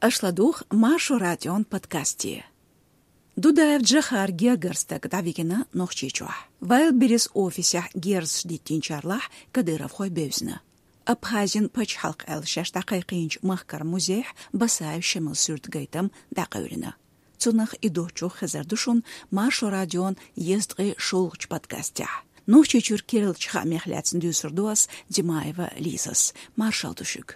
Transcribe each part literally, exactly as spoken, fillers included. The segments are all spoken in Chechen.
Аша ладугӀу Маршо радион подкасте. Дудаев Джохар гергара стаг дӀавигина Нохчийчохь. Wildberries офисехь герзаш диттинчарлахь кадыровхой бевзина. Абхазин пачхьалкх аьлла шаьш дӀакхайкхийначу махкара музейхь Басаев Шамила суьртан гайтам дӀакъевлина. Цунах и доцчух хезар ду шуна Маршо радион езткъе шолгӀачу подкастехь. Нохчийчуьра керлачу хаамех лаьцна дуьйцур ду ас, Димаева Лизас. Маршалла ду шуьга.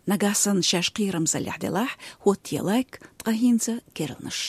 Нагахь санна шаьш кхерамзаллехь делахь, хӀоттае лайк, ткъа хӀинца керланаш.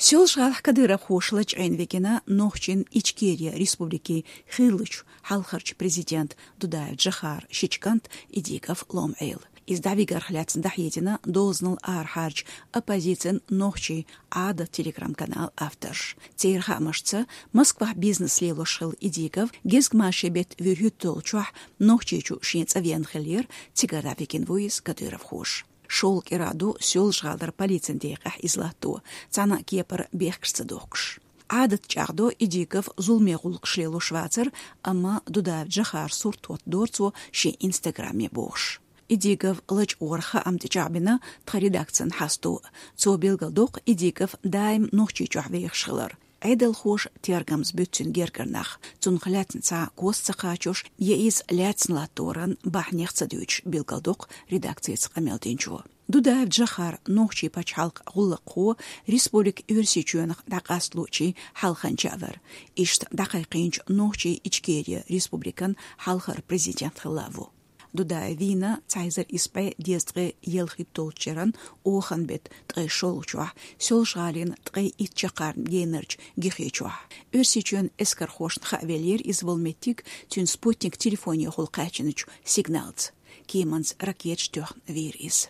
Соьлжа-ГӀалахь кадыровхоша лачкъийна вигина Нохчийн Ичкери Республикин хиллачу хьалхарчу президента Дудаев Джохара шича кӀант Идигов Лом-Ӏела. Иза дӀавигарх лаьцна дӀахьедина дозанал арахьарчу оппозицин «Нохчийн Ӏадат» телеграм-каналан авторша. Церан хаамашца, Москвахь бизнес лелош хилла Идигов гезгмашин беттан вуьрхӀитталгӀачохь Нохчийчу шен цӀа веана хиллера, цигара дӀавигина ву иза кадыровхоша. ШолгӀа кӀира ду Соьлжа-ГӀалара полицин декъехь иза латто, цхьана а кепара бехкаш ца дохкуш. Ӏадат чӀагӀдо Идигов зуламе гӀуллакхаш лелош вацар, амма Дудаев Джохара сурт хӀоттадора цо шен инстаграме бохуш. Идигов лачкъоран хаам тӀечӀагӀбина тхан редакцин хьасто. Цо билгалдоккху Идигов даим Нохчийчохь вехаш хилар. Ӏедалхоша тергамза буьту цуьнан гергара нах, цунах лаьцна цхьа а кос ца кхачош, я иза лаьцна латторан бахьанех ца дуьйцуш, билгалдоккху редакцица къамел динчо. Дудаев Джохар нохчийн пачхьалкхан гӀуллакххо Республика Оьрсийчоьнах дӀакъасталучийн хьалханча а вара. Иштта дӀакхайкхийначу Нохчийн Ичкери Республикан хьалхара президент хилла а ву. Дудаев вийна цхьа эзар исс бӀе дезткъе ялхитталгӀачу шеран оханан беттан ткъе шолгӀачохь, Соьлжа-ГӀалина ткъе итт чаккхарма генарчу Гихечохь. Оьрсийчоьнан эскархошна хаа веллера иза волу меттиг цуьнан спутник телефонехула кхаьчначу сигналца. Кеманца ракеташ тоьхна вийра иза.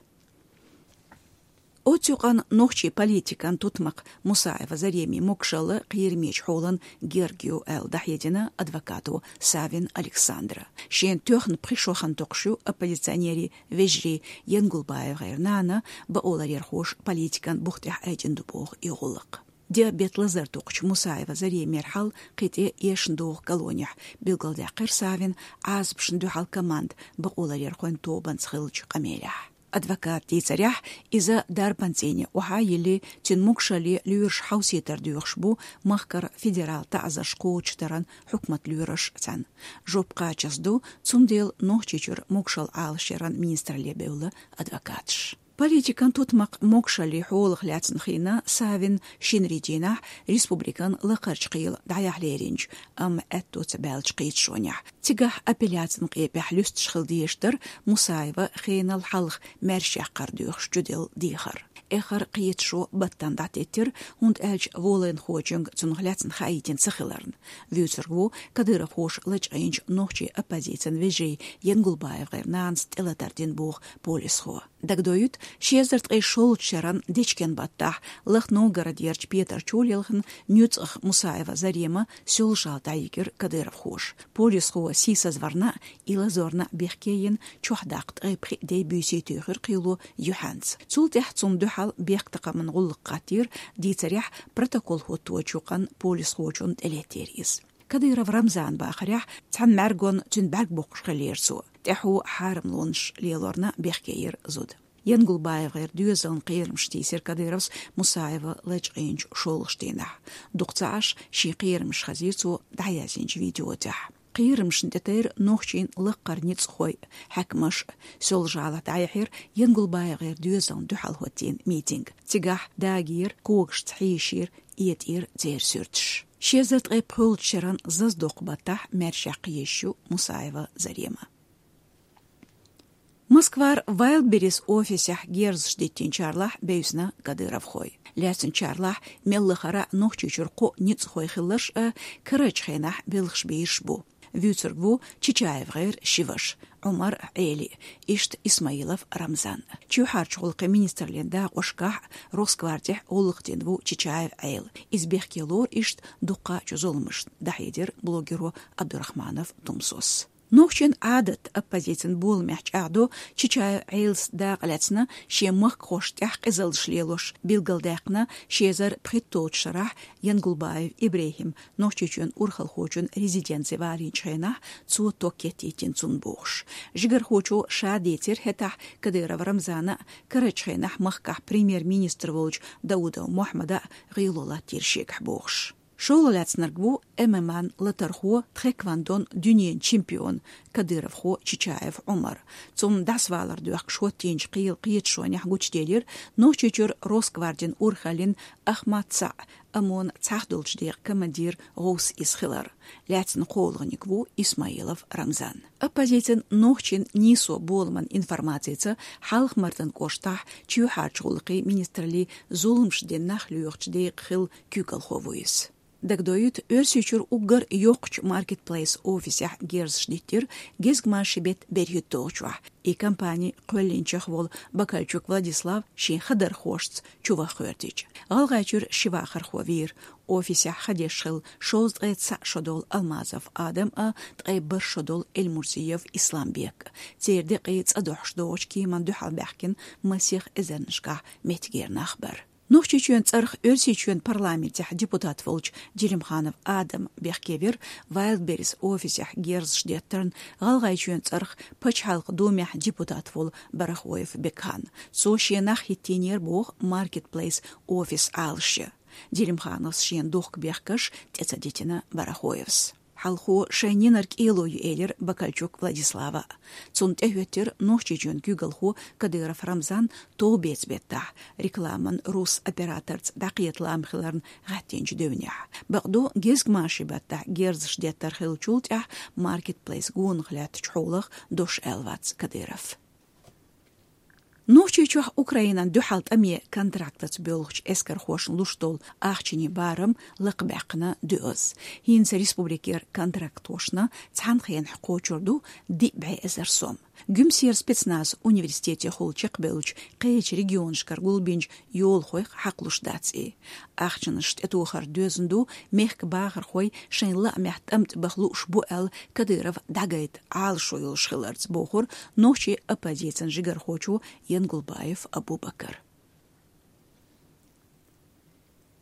Оцу юкъанна нохчийн политикан тутмакх Мусаева Заремин могушалла кхерамечу хьолан герга ю аьлла дӀахьедина адвокато Савин Александра. Шена тоьхна пхи шо хан токхуш ю оппозиционерийн вежарий ЯнгулбаевгӀеран нана, бакъоларъярхоша политикан бух тӀехь айдина ду боху и гӀуллакх. Диабет лазар токхучу Мусаева Заремера хьал кхин тӀе эшна догӀу колонехь, билгалдаьккхира Савина Ӏазапашна дуьхьал команда бакъоларъярхойн тобанца хиллачу къамелехь. Адвоката дийцарехь, иза дарбан цӀийне охьа а йиллий, цуьнан могушалле лоьраш хьовсийтар доьхуш бу махкара федерал таӀзарш кхочушдаран хьукматан лоьрашца цхьаьна. Жоп кхачаза ду, цундела Нохчийчуьра могушалла Ӏалашъяран министралле бевлла адвокаташ. Политикан тутмакх могушаллин хьолах лаьцна хиъна Савина шинарин дийнахь республикан лакхарчу кхелан дӀаяхьа леринчу, амма аьтто ца баьллачу кхеташонехь. Цигахь апелляцин къепехь луьстуш хила дезаш дара Мусаева хенал хьалха маьршаяккхар доьхуш чуделла дехар. Эххар кхеташо баттана дӀатеттира, хӀунда аьлча волайнхочуьнга цунах лаьцна хаийтина ца хиларна. Вуьйцург ву кадыровхоша лачкъийначу нохчийн оппозицин вежарий ЯнгулбаевгӀеран нанас тӀелатар дина боху полисхо. Дагадоуьйту, ши эзар ткъе шолгӀачу шеран дечкен баттахь Лаха Новгородерчу Петарчу лелхина нуьцкъах Мусаева Зарема Соьлжа-ГӀала дӀайигира кадыровхоша. Полисхо сийсазварна а, и лазорна а бехке йина, чохь даккха ткъе пхиъ ден буьйсий туьйхира кхело юьхьанца. Цул тӀаьхьа цунна дуьхьал бехктакхаман гӀуллакх хӀоттийра, дийцарехь, протокол хӀотточу юкъанна полисхочунна тӀелеттера иза. Кадыров Рамзана бахарехь, цхьана мӀаьргонна цуьнан бӀаьрг боккхуш хиллера цо. ТӀаьхьо хьарамлонаш лелорна бехке йира зуда. ЯнгулбаевгӀеран доьзална кхерамаш тийсира Кадыровс Мусаева лачкъийначу шолгӀачу дийнахь. Дукха ца Ӏаш, шен кхерамаш хазийра цо дӀаязйинчу видео тӀехь. Кхерамашна тӀетайра нохчийн лакхара ницкъахой, хьаькамаш. Соьлжа-ГӀалахь дӀаяьхьира ЯнгулбаевгӀеран доьзална дуьхьал хӀоттийна митинг. Цигахь дагийра, когашца хьийшийра, этӀийра церан суьрташ. Ши эзар ткъе пхоьалгӀачу шеран зазадоккху баттахь маьршаяккха езаш ю Мусаева Зарема. Москвара Wildberries офисехь герзаш диттинчарлахь бевзина кадыровхой. Лаьцначарлахь мел лахара Нохчийчуьра кхоъ ницкъахой хилларш а карарчу хенахь белхаш бийраш бу. Вуьйцург ву ЧичаевгӀеран ши ваша, Ӏумар, Ӏели, иштта Исмаилов Рамзан. Чоьхьарчу гӀуллакхийн министраллин дакъошкахь Росгвардехь гӀуллакх дина ву ЧичаевгӀела. Иза бехке лору иштта дуккхачу зуламашна, дӀахьедира блогеро Абдурахманов Тумсос. Нохчийн Ӏадат оппозицин боламехь чӀагӀдо Чичаев Ӏелас дакъа лаьцна шен махкахошна тӀехь къизаллаш лелош, билгалдаьккхина ши эзар пхийтталгӀачу шарахь Янгулбаев ИбрахӀима Нохчийчоьнан урхалхочун резиденце валийначу хенахь цо ток кеттийтина цунна бохуш. Жигархочо ша дийцира хӀетахь Кадыров Рамзана а, карарчу хенахь махкахь премьер-министр волчу Даудов Мохьмада а гӀело латтийра шегахь бохуш. ШолгӀа лаьцнарг ву ММА-н латархо, тхэквондон дуьненан чемпион, кадыровхо Чичаев Ӏумар. Цунна дӀасавалар доьхкуш хӀоттийначу кхелан кхеташонехь гучуделира Нохчийчуьра Росгвардин урхаллин Ахмат-СаӀ, ОМОН-ан цхьахдолчу декъан командир ГӀовс иза хилар. Лаьцна кхоалгӀаниг ву Исмаилов Рамзан. Оппозицин «Нохчийн нийсо» боламан информацица, Хьалха-Мартан кӀоштахь чоьхьарчу гӀуллакхийн министраллин зуламаш дина нах лоьхучу декъан хилла куьйгалхо ву иза. Дагадоуьйту, Оьрсийчуьра уггар йоккхачу маркетплейс офисехь герзаш диттира гезгмашин беттан берхӀитталгӀачохь, и компани кхоьллинчех волу Бакальчук Владислав шен хадархошца чуваха гӀоьртича. ГӀалгӀайчуьра ши вахархо вийра. Офисехь ха деш хилла шовзткъе цхьаъ шо долу Алмазов Адам а, ткъе бархӀ шо долу Эльмурзиев Исламбек а. Церан декъий цӀа дохьуш догӀучу кеманна дуьхьал баьхкина масех эзарнашкахь меттигера нах бара. Нохчийчоьнан цӀарах Оьрсийчоьнан парламентехь депутат волчу Делимханов Адама бехке вира Wildberries офисехь герзаш деттарна ГӀалгӀайчоьнан цӀарах Пачхьалкхан Думехь депутат волу Барахоев Бекхан. Цо шен нах хӀиттийнера боху маркетплейс офис Ӏалашъян. Делимхановс шена духку бехкаш тӀе ца дитина Барахоевс. Хьалхо шайн ненар кӀело ю элира Бакальчук Владислава. Цунна тӀехӀоьттира Нохчийчоьнан куьйгалхо Кадыров Рамзан товбецан беттахь, рекламан рус операторца дӀакхета лам хиларна гӀаьттинчу девнехь. Бакъду, гезгмашин баттахь герзаш деттар хиллачул тӀаьхьа маркетплейс гонах лаьттачу хьолах дош аьлла вац Кадыров. Нохчийчохь Украинан дуьхьал тӀаме контрактаца боьлхучу эскархошна луш долу ахчанийн барам лакхабаьккхина доьазза. ХӀинца республикера контрактхошна цхьана хенахь кхочур ду диъ бӀе эзар сом. Гуьмсера спецназ университетехула чекхбевллачу кхечу регионашкара гулбинчу йолахойх хьакхалуш дац и. Ахчанаш тӀетохар доьзна ду, мехкан бахархой шайн лаамехь тӀамтӀа баха лууш бу аьлла, Кадыров дӀагайта Ӏалашо йолуш хиларца, бохура нохчийн оппозицин жигархочо Янгулбаев Абубакара.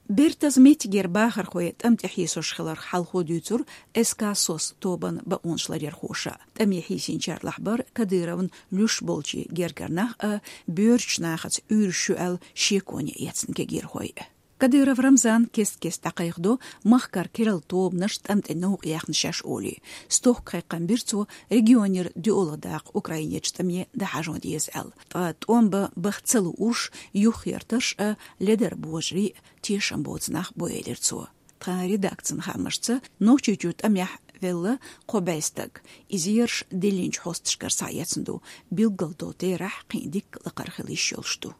Бертаза меттигера бахархой тӀамтӀе хьийсош хиларх хьалхо дуьйцура СК «СОС» тобан бакъонашларъярхоша. ТӀаме хьийсинчарлахь бара Кадыровн луьш болчийн гергара нах а, боьрачу нахаца уьйраш ю аьлла шеконе эцна кегийрхой а. Кадыров Рамзан кест-кеста дӀакхайкхадо махкара керла тобанаш тӀамтӀе новкъа яьхна шаьш олий. Стохка кхайкхам бира цо, регионера доьалгӀа даккха Украинерчу тӀаме дӀахьажо деза аьлла. Ткъа тӀом бан баха ца луурш, юххера тарш а, ледара божарий а тешам боцу нах бу элира цо. Тхан редакцин хаамашца, Нохчийчуьра тӀамехь велла кхо бӀе стаг. Иза ерш диллинчу хьосташкара схьаэцна ду, билггал долу терахь кхин дикка лакхара хила йиш йолуш ду.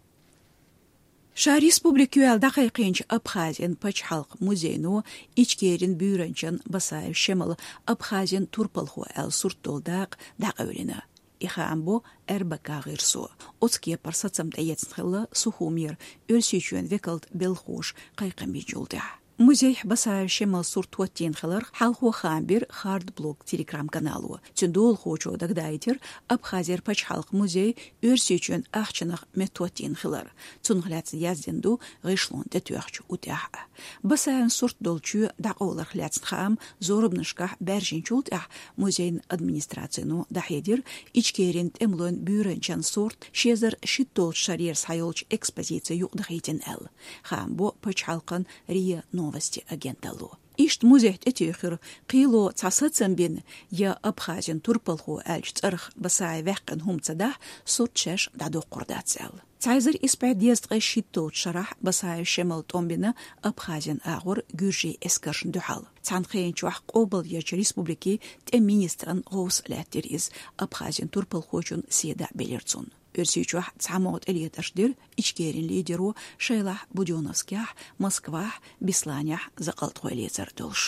Ша республика ю аьлла дӀакхайкхийначу Абхазин пачхьалкхан музейно Ичкерин буьйранчин Басаев Шемала Абхазин турпалхо аьлла сурт долу дакъа дӀакъевлина. И хаам бо РБК гӀирсо. Оцу кепара сацам тӀеэцна хилла Сухумера Оьрсийчоьнан векалта белхахоша кхайкхам бинчул тӀаьхьа. Музейхь Басаев Шемалан сурт хӀоттийна хиларх хьалхо хаам бира Хард Блог Telegram-канало. Цуьнан долахочо дагадаийтира, Абхазера пачхьалкхан музей Оьрсийчоьнан ахчанах меттахӀоттийна хилар. Цунах лаьцна яздина ду гӀишлон тӀетоьхча утӀехь а. Басаевн сурт долу чоь дӀакъовларх лаьцна хаам зорбанашкахь баьржинчул тӀаьхьа музейн администрацино дӀахьедира, Ичкерин тӀемалойн буьйранчин сурт ши эзар шийтталгӀачу шарера схьайолчу экспозици юкъадахийтина аьлла. Хаам бо пачхьалкхан РИА Новости агенталло. Иштта музейх тӀетуьйхира, кхело цхьа сацам бина, я Абхазин турпалхо аьллачу цӀарах Басаев ваьккхина хӀума ца дахь, сурт шаьш дӀадоккхур дац аьлла. Цхьа эзар исс бӀе дезткъе шийтталгӀачу шарахь Басаев Шемала тӀом бина Абхазин агӀор гуьржийн эскаршна дуьхьал. Цхьана хенан чохь къобалъечу республикин тӀеман министран гӀовс лаьттира иза, Абхазин турпалхочун седа а белира цунна. Оьрсийчохь цхьамогӀа тӀелетарш дира Ичкерин лидеро, шайлахь Будённовскехь, Москвахь, Бесланехь закъалтхой лецар долуш.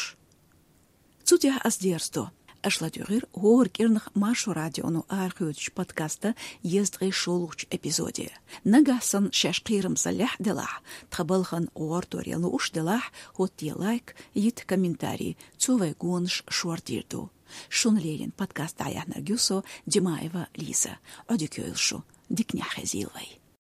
Цу тӀехь ас дерзадо. Аша ладугӀур хӀара кӀирнах Маршо радионо арахьош йолча подкаста дезткъе шоллагӀча эпизоде. Нагахь санна шоаш кхерамзаллехь делахь, тха балхан гӀортор луш делахь, хӀоттае лайк, йита комментарий, цо вай гонаш шордийр ду. Шуна леррина подкаст дӀаяьхьнарг я со, Димаева Лиза. Ӏодика йойла шу, диканехь хезийла вай.